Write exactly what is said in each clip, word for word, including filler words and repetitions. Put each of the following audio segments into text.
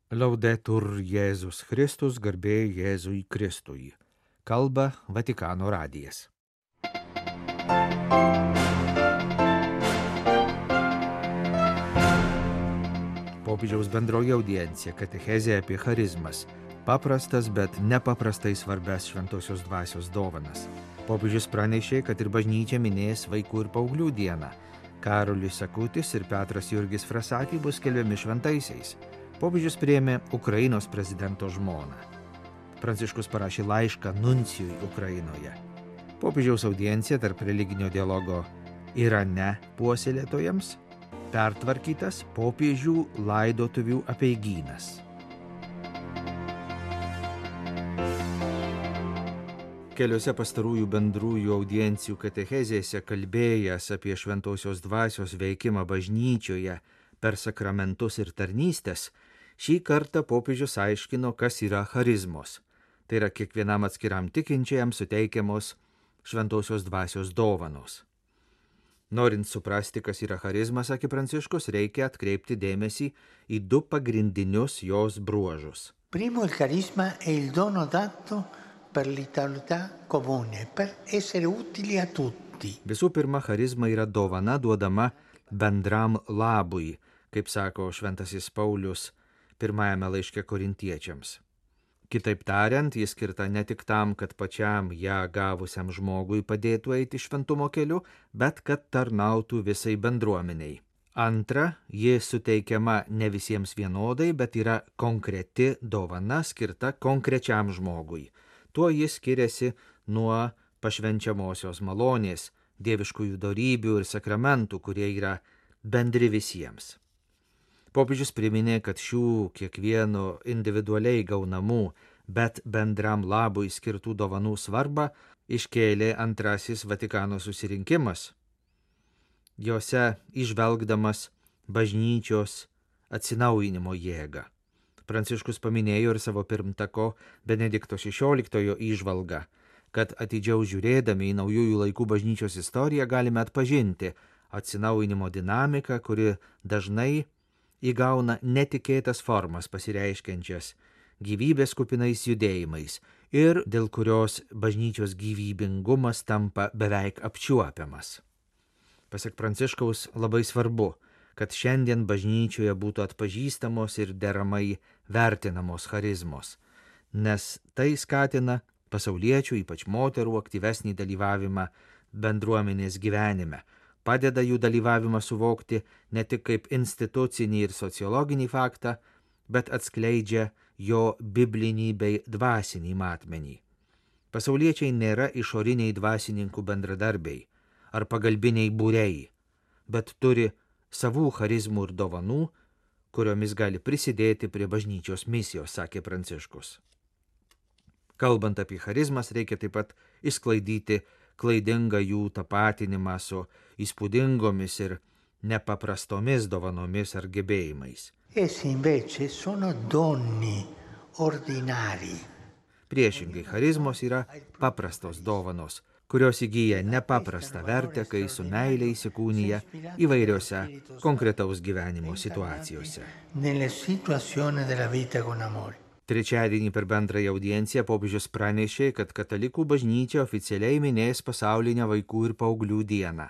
Laudetur Jėzus Kristus, garbė Jėzui Kristui. Kalba Vatikano radijas. Popiežiaus bendroji audiencija, katechezė apie charizmas. Paprastas, bet nepaprastai svarbes šventosios dvasios dovanas. Popiežius pranešė, kad ir bažnyčia minės vaikų ir paauglių dieną. Karolis Akutis ir Petras Jurgis Frasati bus skelbiami šventaisiais. Popiežius priėmė Ukrainos prezidento žmoną. Pranciškus parašė laišką nuncijui Ukrainoje. Popiežiaus audiencija tarp religinio dialogo Irane puoselėtojams, pertvarkytas popiežių laidotuvių apeigynas. Keliose pastarųjų bendrųjų audiencijų katechezėse kalbėjęs apie šventosios dvasios veikimą bažnyčioje per sakramentus ir tarnystės, šį kartą popiežius aiškino, kas yra charizmos. Tai yra kiekvienam atskiram tikinčiajam suteikiamos šventosios dvasios dovanos. Norint suprasti, kas yra charizmas, sakė Pranciškus, reikia atkreipti dėmesį į du pagrindinius jos bruožus. Primo, il carisma è il dono dato per l'utilità comune, per essere utili a tutti. Visų pirma, charizma yra dovana duodama bendram labui, kaip sako šventasis Paulius pirmajame laiške korintiečiams. Kitaip tariant, jis skirta ne tik tam, kad pačiam ją gavusiam žmogui padėtų eiti šventumo keliu, bet kad tarnautų visai bendruomeniai. Antra, ji suteikiama ne visiems vienodai, bet yra konkreti dovana skirta konkrečiam žmogui. Tuo jis skiriasi nuo pašvenčiamosios malonės, dieviškųjų dorybių ir sakramentų, kurie yra bendri visiems. Popiežius priminė, kad šių kiekvieno individualiai gaunamų, bet bendram labui skirtų dovanų svarbą iškėlė antrasis Vatikano susirinkimas, jose įžvelgdamas bažnyčios atsinaujinimo jėgą. Pranciškus paminėjo ir savo pirmtako Benedikto šešioliktojo įžvalgą, kad atidžiau žiūrėdami į naujųjų laikų bažnyčios istoriją galime atpažinti atsinaujinimo dinamiką, kuri dažnai įgauna netikėtas formas pasireiškiančias gyvybės kupinais judėjimais ir dėl kurios bažnyčios gyvybingumas tampa beveik apčiuopiamas. Pasak Pranciškaus, labai svarbu, kad šiandien bažnyčioje būtų atpažįstamos ir deramai vertinamos charizmos, nes tai skatina pasauliečių, ypač moterų, aktyvesnį dalyvavimą bendruomenės gyvenime, padeda jų dalyvavimą suvokti ne tik kaip institucinį ir sociologinį faktą, bet atskleidžia jo biblinį bei dvasinį matmenį. Pasauliečiai nėra išoriniai dvasininkų bendradarbiai ar pagalbiniai būriai, bet turi savų charizmų ir dovanų, kuriomis gali prisidėti prie bažnyčios misijos, sakė Pranciškus. Kalbant apie charizmas, reikia taip pat išsklaidyti klaidingą jų tapatinimą su įspūdingomis ir nepaprastomis dovanomis ar gebėjimais. Essi invece sono doni ordinari. Priešingai, charizmos yra paprastos dovanos, kurios įgyja nepaprastą vertę, kai su meile įsikūnija įvairiose konkretaus gyvenimo situacijose. Nelle situazioni della vita con amore. Trečiadienį per bendrąją audienciją popiežius pranešė, kad katalikų bažnyčia oficialiai minės pasaulinę vaikų ir paauglių dieną.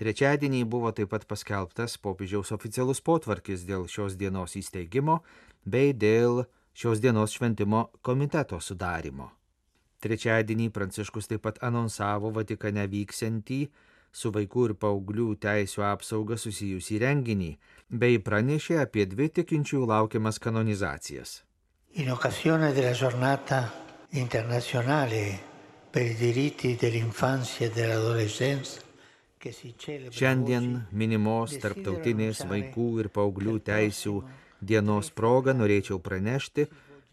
Trečiadienį buvo taip pat paskelbtas popiežiaus oficialus potvarkis dėl šios dienos įsteigimo bei dėl šios dienos šventimo komiteto sudarimo. Trečiadienį Pranciškus taip pat anonsavo Vatikane vyksiantį su vaikų ir paauglių teisių apsauga susijusį renginį bei pranešė apie dvi tikinčiųjų laukiamas kanonizacijas. In occasione della giornata internazionale per i diritti dell'infanzia e dell'adolescenza, che si celebra Šiandien minimos tarptautinės vaikų ir paauglių teisių dienos proga norėčiau pranešti,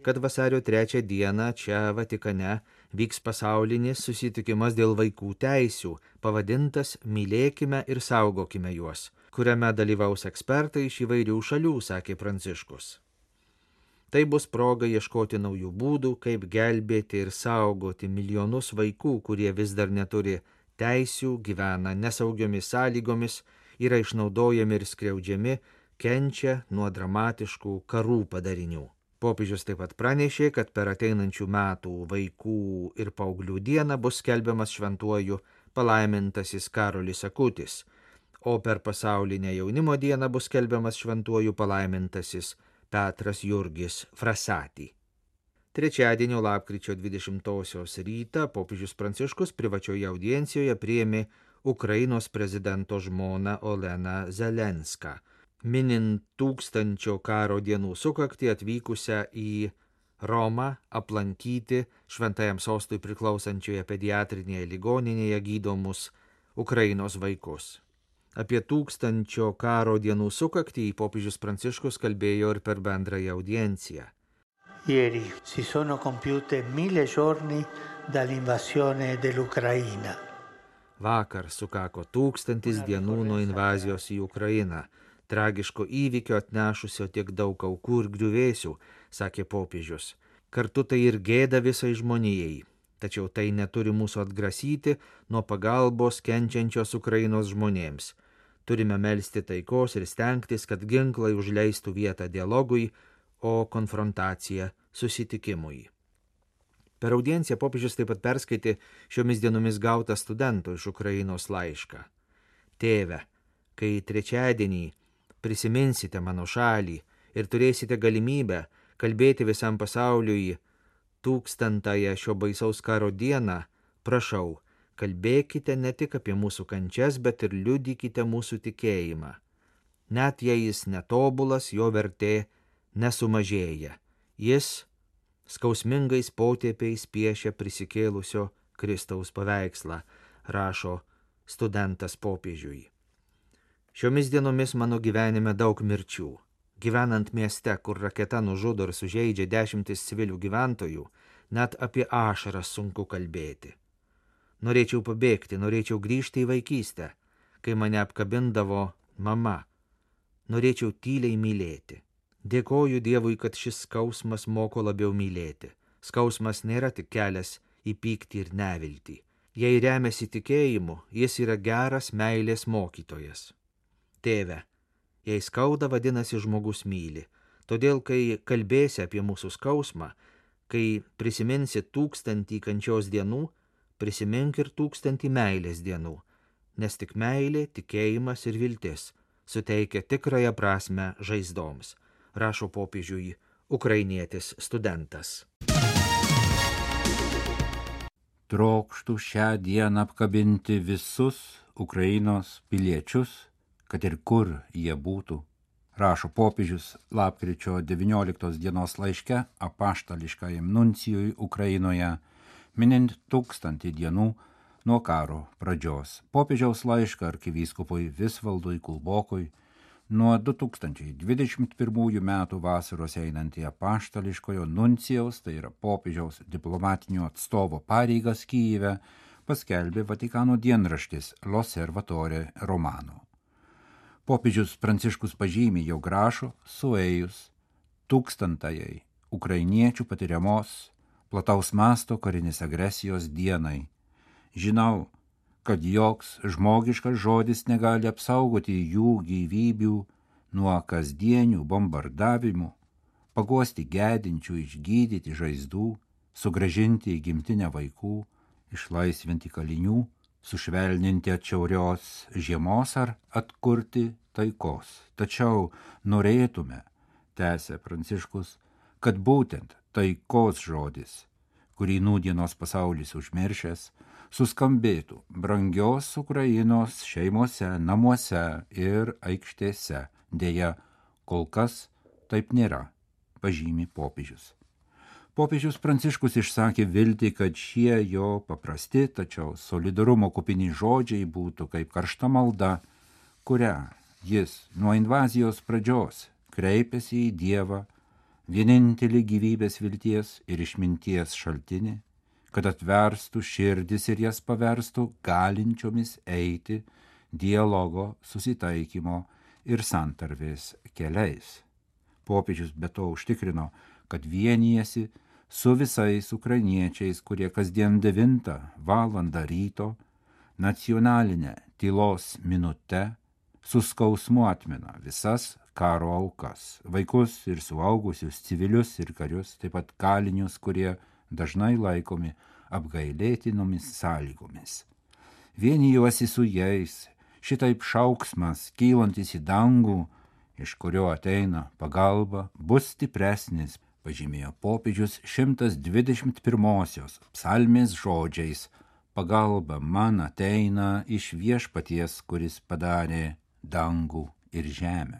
kad vasario trečią dieną čia Vatikane vyks pasaulinis susitikimas dėl vaikų teisių, pavadintas Mylėkime ir saugokime juos, kuriame dalyvaus ekspertai iš įvairių šalių, sakė Pranciškus. Tai bus proga ieškoti naujų būdų, kaip gelbėti ir saugoti milijonus vaikų, kurie vis dar neturi teisių, gyvena nesaugiomis sąlygomis, yra išnaudojami ir skriaudžiami, kenčia nuo dramatiškų karų padarinių. Popiežius taip pat pranešė, kad per ateinančių metų vaikų ir paauglių dieną bus skelbiamas šventuoju palaimintasis Karolis Akutis, o per pasaulinę jaunimo dieną bus skelbiamas šventuoju palaimintasis Petras Jurgis Frasati. Trečiadienio lapkričio dvidešimtosios rytą popiežius Pranciškus privačioje audiencijoje priėmė Ukrainos prezidento žmoną Oleną Zelenską, minint tūkstančio karo dienų sukaktį atvykusią į Romą aplankyti šventajam sostui priklausančioje pediatrinėje ligoninėje gydomus Ukrainos vaikus. Apie tūkstančio karo dienų sukaktį popiežius Pranciškus kalbėjo ir per bendrąją audienciją. Ieri si sono compiute mille giorni dall'invasione dell'Ucraina. Vakar sukako tūkstantis dienų nuo invazijos į Ukrainą, tragiško įvykio atnešusio tiek daug aukų ir griuvėsių, sakė popiežius. Kartu tai ir gėda visai žmonijai, tačiau tai neturi mūsų atgrasyti nuo pagalbos kenčiančios Ukrainos žmonėms. Turime melsti taikos ir stengtis, kad ginklai užleistų vietą dialogui, o konfrontacija susitikimui. Per audienciją popiežius taip pat perskaitė šiomis dienomis gautą studento iš Ukrainos laišką. Tėve, kai trečiadienį prisiminsite mano šalį ir turėsite galimybę kalbėti visam pasauliui tūkstantąją šio baisaus karo dieną, prašau, kalbėkite ne tik apie mūsų kančias, bet ir liudykite mūsų tikėjimą. Net jei jis netobulas, jo vertė nesumažėja. Jis skausmingais potėpiais piešia prisikėlusio Kristaus paveikslą, rašo studentas popiežiui. Šiomis dienomis mano gyvenime daug mirčių. Gyvenant mieste, kur raketa nužudo ir sužeidžia dešimtis civilių gyventojų, net apie ašaras sunku kalbėti. Norėčiau pabėgti, norėčiau grįžti į vaikystę, kai mane apkabindavo mama. Norėčiau tyliai mylėti. Dėkoju Dievui, kad šis skausmas moko labiau mylėti. Skausmas nėra tik kelias į pyktį ir neviltį. Jei remiasi tikėjimu, jis yra geras meilės mokytojas. Tėve, jei skauda, vadinasi žmogus myli. Todėl, kai kalbėsi apie mūsų skausmą, kai prisiminsi tūkstantį kančios dienų, prisimink ir tūkstantį meilės dienų, nes tik meilė, tikėjimas ir viltis suteikia tikrąją prasmę žaizdoms, rašo popiežiui ukrainietis studentas. Trokštų šią dieną apkabinti visus Ukrainos piliečius, kad ir kur jie būtų, rašo popiežius lapkričio devynioliktos dienos laiške apaštališkajam nuncijui Ukrainoje, minint tūkstantį dienų nuo karo pradžios. Popiežiaus laišką arkivyskupui Visvaldui Kulbokui nuo du tūkstančiai dvidešimt pirmųjų metų vasaros einantį apaštališkojo nuncijaus, tai yra popiežiaus diplomatinio atstovo pareigas Kyjive, paskelbė Vatikano dienraštis L'Osservatore Romano. Popiežius Pranciškus pažymė, jog rašo suėjus tūkstantajai ukrainiečių patiriamos plataus masto karinės agresijos dienai. Žinau, kad joks žmogiškas žodis negali apsaugoti jų gyvybių nuo kasdienių bombardavimų, paguosti gedinčių, išgydyti žaizdų, sugrąžinti į gimtinę vaikų, išlaisvinti kalinių, sušvelninti atšiaurios žiemos ar atkurti taikos. Tačiau norėtume, tęsė Pranciškus, kad būtent taikos žodis, kurį nūdienos pasaulis užmiršęs, suskambėtų brangios Ukrainos šeimose, namuose ir aikštėse. Deja, kol kas taip nėra, pažymi popiežius. Popiežius Pranciškus išsakė viltį, kad šie jo paprasti, tačiau solidarumo kupini žodžiai būtų kaip karšta malda, kurią jis nuo invazijos pradžios kreipėsi į Dievą, vienintelį gyvybės vilties ir išminties šaltinį, kad atverstų širdis ir jas paverstų galinčiomis eiti dialogo, susitaikymo ir santarvės keliais. Popiežius be to užtikrino, kad vienijasi su visais ukrainiečiais, kurie kasdien devintą valandą ryto nacionalinę tylos minute su skausmu atmina visas karo aukas - vaikus ir suaugusius, civilius ir karius, taip pat kalinius, kurie dažnai laikomi apgailėtinomis sąlygomis. Vienijuosi su jais, šitaip šauksmas, kylantis į dangų, iš kurio ateina pagalba, bus stipresnis, pažymėjo popiežius šimtas dvidešimt pirmosios psalmės žodžiais: pagalba man ateina iš viešpaties, kuris padarė dangų ir žemę.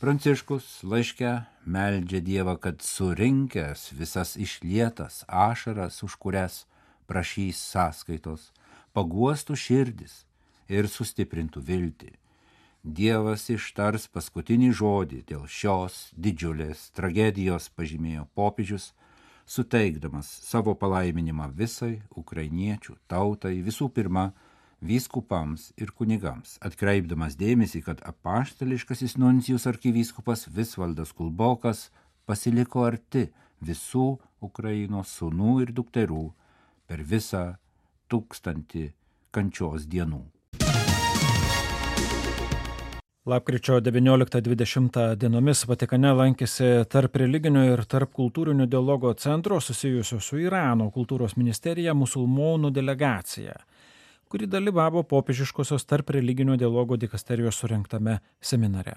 Pranciškus laiške meldžia Dievą, kad surinkęs visas išlietas ašaras, už kurias prašys sąskaitos, paguostų širdis ir sustiprintų viltį. Dievas ištars paskutinį žodį dėl šios didžiulės tragedijos, pažymėjo popiežius, suteikdamas savo palaiminimą visai ukrainiečių tautai, visų pirma vyskupams ir kunigams, atkreipdamas dėmesį, kad apaštališkasis nuncijus arkivyskupas Visvaldas Kulbokas pasiliko arti visų Ukrainos sūnų ir dukterų per visą tūkstantį kančios dienų. Lapkričio devynioliktą dvidešimtą dienomis Vatikane lankėsi tarp religinio ir tarp kultūrinio dialogo centro susijusio su Irano kultūros ministerija musulmonų delegacija, kuri dalyvavo popiežiškosios tarp religinio dialogo dikasterijos surengtame seminare.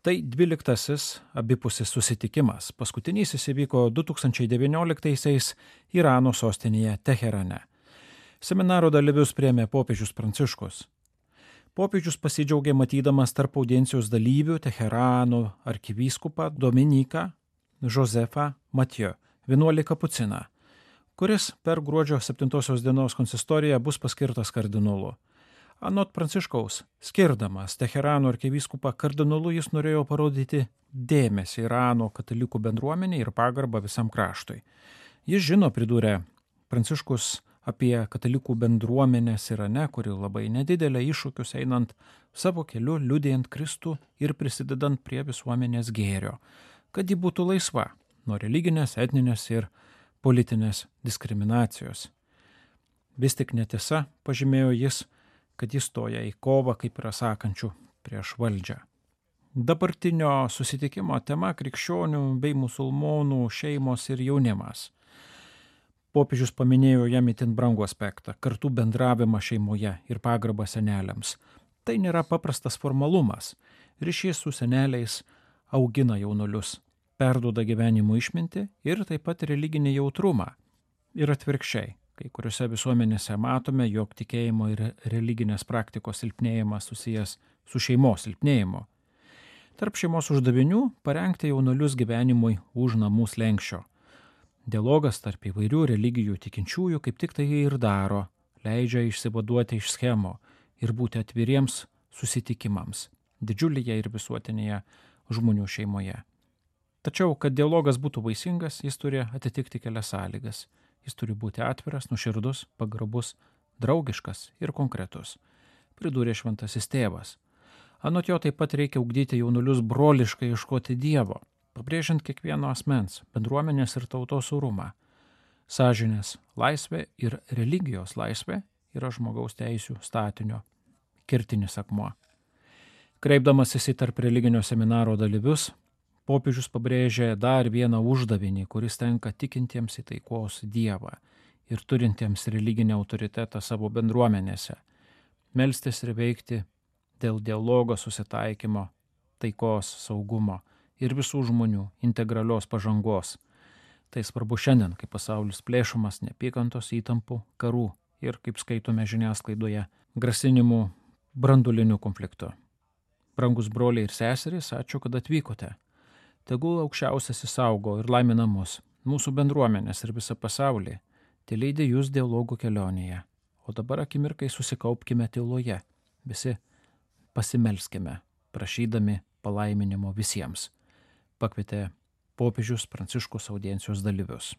Tai dvyliktasis abipusis susitikimas. Paskutinysis įvyko du tūkstančiai devynioliktaisiais Irano sostinėje Teherane. Seminaro dalyvius priėmė popiežius Pranciškus. Popiežius pasidžiaugė matydamas tarp audiencijos dalyvių Teherano arkivyskupą Dominiką Josefą Mathieu, vienuolį kapuciną, kuris per gruodžio septintosios dienos konsistoriją bus paskirtas kardinolu. Anot Pranciškaus, skirdamas Teherano arkivyskupą kardinolu, jis norėjo parodyti dėmesį Irano katalikų bendruomenei ir pagarbą visam kraštui. Jis žino, pridūrė Pranciškus, apie katalikų bendruomenės Irane, kuri labai nedidelė, iššūkius einant savo keliu, liudijant Kristų ir prisidedant prie visuomenės gėrio, kad ji būtų laisva nuo religinės, etninės ir politinės diskriminacijos. Vis tik netiesa, pažymėjo jis, kad jis stoja į kovą, kaip yra sakančių, prieš valdžią. Dabartinio susitikimo tema - krikščionių bei musulmonų šeimos ir jaunimas. Popiežius paminėjo jam itin brangų aspektą - kartų bendravimą šeimoje ir pagarbą seneliams. Tai nėra paprastas formalumas. Ryšys su seneliais augina jaunulius, perduoda gyvenimo išmintį ir taip pat religinį jautrumą. Ir atvirkščiai, kai kuriuose visuomenėse matome, jog tikėjimo ir religinės praktikos silpnėjimas susijęs su šeimos silpnėjimu. Tarp šeimos uždavinių - parengti jaunulius gyvenimui už namų slenksčio. Dialogas tarp įvairių religijų tikinčiųjų kaip tik tai ir daro, leidžia išsivaduoti iš schemų ir būti atviriems susitikimams didžiulėje ir visuotinėje žmonių šeimoje. Tačiau, kad dialogas būtų vaisingas, jis turi atitikti kelias sąlygas. Jis turi būti atviras, nuoširdus, pagarbus, draugiškas ir konkretus, pridūrė šventasis tėvas. Anot jo taip pat reikia ugdyti jaunulius broliškai ieškoti Dievo, pabrėžiant kiekvieno asmens, bendruomenės ir tautos orumą. Sąžinės laisvė ir religijos laisvė yra žmogaus teisių statinio kertinis akmuo. Kreipdamasis į tarp religinio seminaro dalyvius, popiežius pabrėžė dar vieną uždavinį, kuris tenka tikintiems į taikos Dievą ir turintiems religinį autoritetą savo bendruomenėse - melstis ir veikti dėl dialogo, susitaikymo, taikos, saugumo ir visų žmonių integralios pažangos. Tai svarbu šiandien, kai pasaulis plėšomas neapykantos, įtampų, karų ir, kaip skaitome žiniasklaidoje, grasinimų branduliniu konfliktu. Brangus broliai ir seserys, ačiū, kad atvykote. Tegul aukščiausias įsaugo ir laimina mus, mūsų bendruomenės ir visą pasaulį, tai leidė jūs dialogų kelionėje. O dabar akimirkai susikaupkime tyloje, visi pasimelskime, prašydami palaiminimo visiems, pakvietė popiežius Pranciškus audiencijos dalyvius.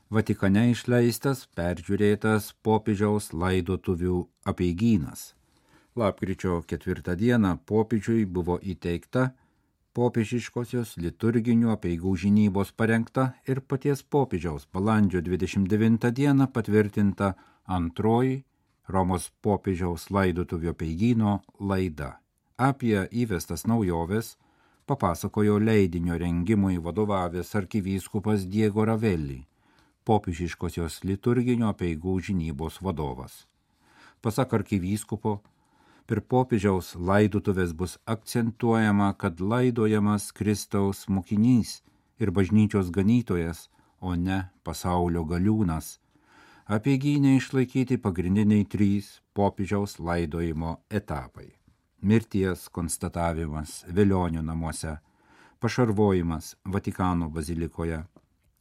Vatikane išleistas peržiūrėtas popiežiaus laidotuvių apeigynas. Lapkričio ketvirtą dieną popiežiui buvo įteikta popiežiškosios liturginių apeigų žinybos parengta ir paties popiežiaus balandžio dvidešimt devintą dieną patvirtinta antroji Romos popiežiaus laidotuvių apeigyno laida. Apie įvestas naujoves papasakojo leidinio rengimui vadovavęs arkivyskupas Diego Ravelli, popiežiškosios liturginio apeigų žinybos vadovas. Pasak arkivyskupo, per popiežiaus laidotuvės bus akcentuojama, kad laidojamas Kristaus mokinys ir bažnyčios ganytojas, o ne pasaulio galiūnas. Apeigyne išlaikyti pagrindiniai trys popiežiaus laidojimo etapai. Mirties konstatavimas Velionių namuose, pašarvojimas Vatikano bazilikoje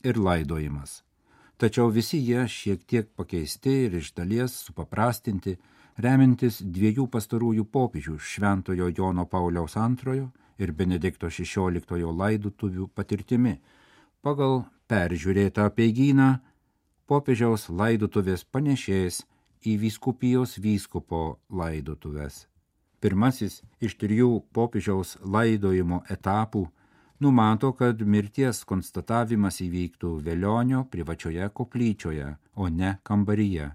ir laidojimas. Tačiau visi jie šiek tiek pakeisti ir iš dalies supaprastinti, remintis dviejų pastarųjų popiežių Šventojo Jono Pauliaus antrojo ir Benedikto šešioliktojo laidotuvių patirtimi. Pagal peržiūrėtą apeigyną popiežiaus laidotuvės panešės į vyskupijos vyskupo laidotuvės. Pirmasis iš trijų popiežiaus laidojimo etapų numato, kad mirties konstatavimas įvyktų Velionio privačioje koplyčioje, o ne kambaryje,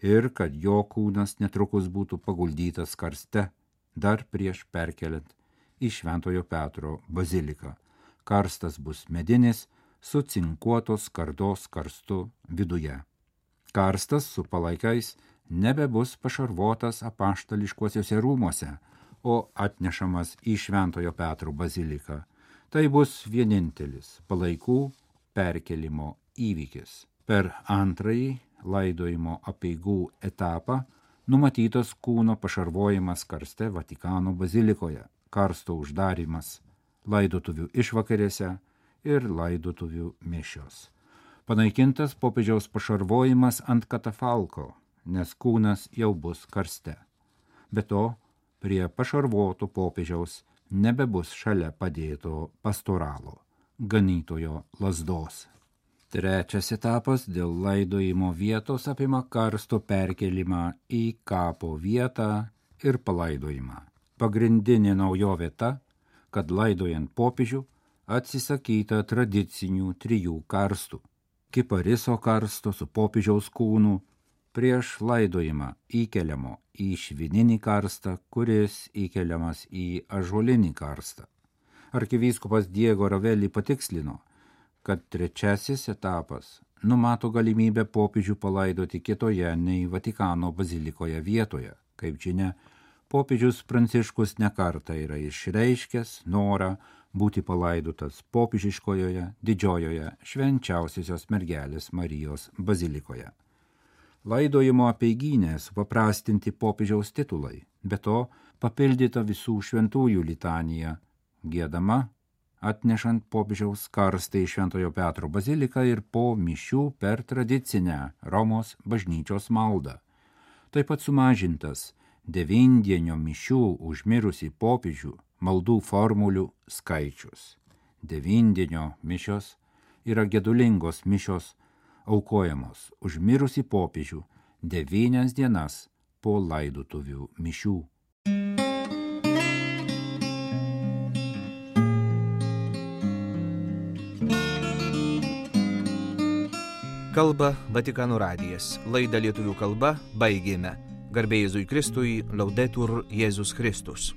ir kad jo kūnas netrukus būtų paguldytas karste, dar prieš perkeliant į Šventojo Petro baziliką. Karstas bus medinis, su cinkuotos skardos karstu viduje. Karstas su palaikais nebebus pašarvotas apaštališkuosiuose rūmuose, o atnešamas į Šventojo Petro baziliką. Tai bus vienintelis palaikų perkelimo įvykis. Per antrąjį laidojimo apeigų etapą numatytas kūno pašarvojimas karste Vatikano bazilikoje, karsto uždarimas, laidotuvių išvakarėse ir laidotuvių mišios. Panaikintas popiežiaus pašarvojimas ant katafalko, nes kūnas jau bus karste. Be to, prie pašarvoto popiežiaus nebebus šalia padėto pastoralo, ganytojo lazdos. Trečias etapas dėl laidojimo vietos apima karsto perkelimą į kapo vietą ir palaidojimą. Pagrindinė naujovė ta, kad laidojant popiežių atsisakyta tradicinių trijų karstų. Kipariso karsto su popiežiaus kūnu prieš laidojimą įkeliamo į švininį karstą, kuris įkeliamas į ąžuolinį karstą. Arkivyskupas Diego Ravelli patikslino, kad trečiasis etapas numato galimybę popiežių palaidoti kitoje nei Vatikano bazilikoje vietoje. Kaip žinia, popiežius Pranciškus nekartą yra išreiškęs norą būti palaidotas popiežiškojoje didžiojoje švenčiausiosios mergelės Marijos bazilikoje. Laidojimo apeigyne supaprastinti popiežiaus titulai, be to papildyta visų šventųjų litanija, giedama atnešant popiežiaus karstą į Šventojo Petro baziliką ir po mišių per tradicinę Romos bažnyčios maldą. Taip pat sumažintas devindienio mišių už mirusį popiežių maldų formulių skaičius. Devindienio mišios yra gedulingos mišios, aukojamos už mirusį popiežių devynias dienas po laidotuvių mišių. Kalba Vatikano radijas. Laidą lietuvių kalba baigėme. Garbė Jėzui Kristui, Laudetur Jėzus Kristus.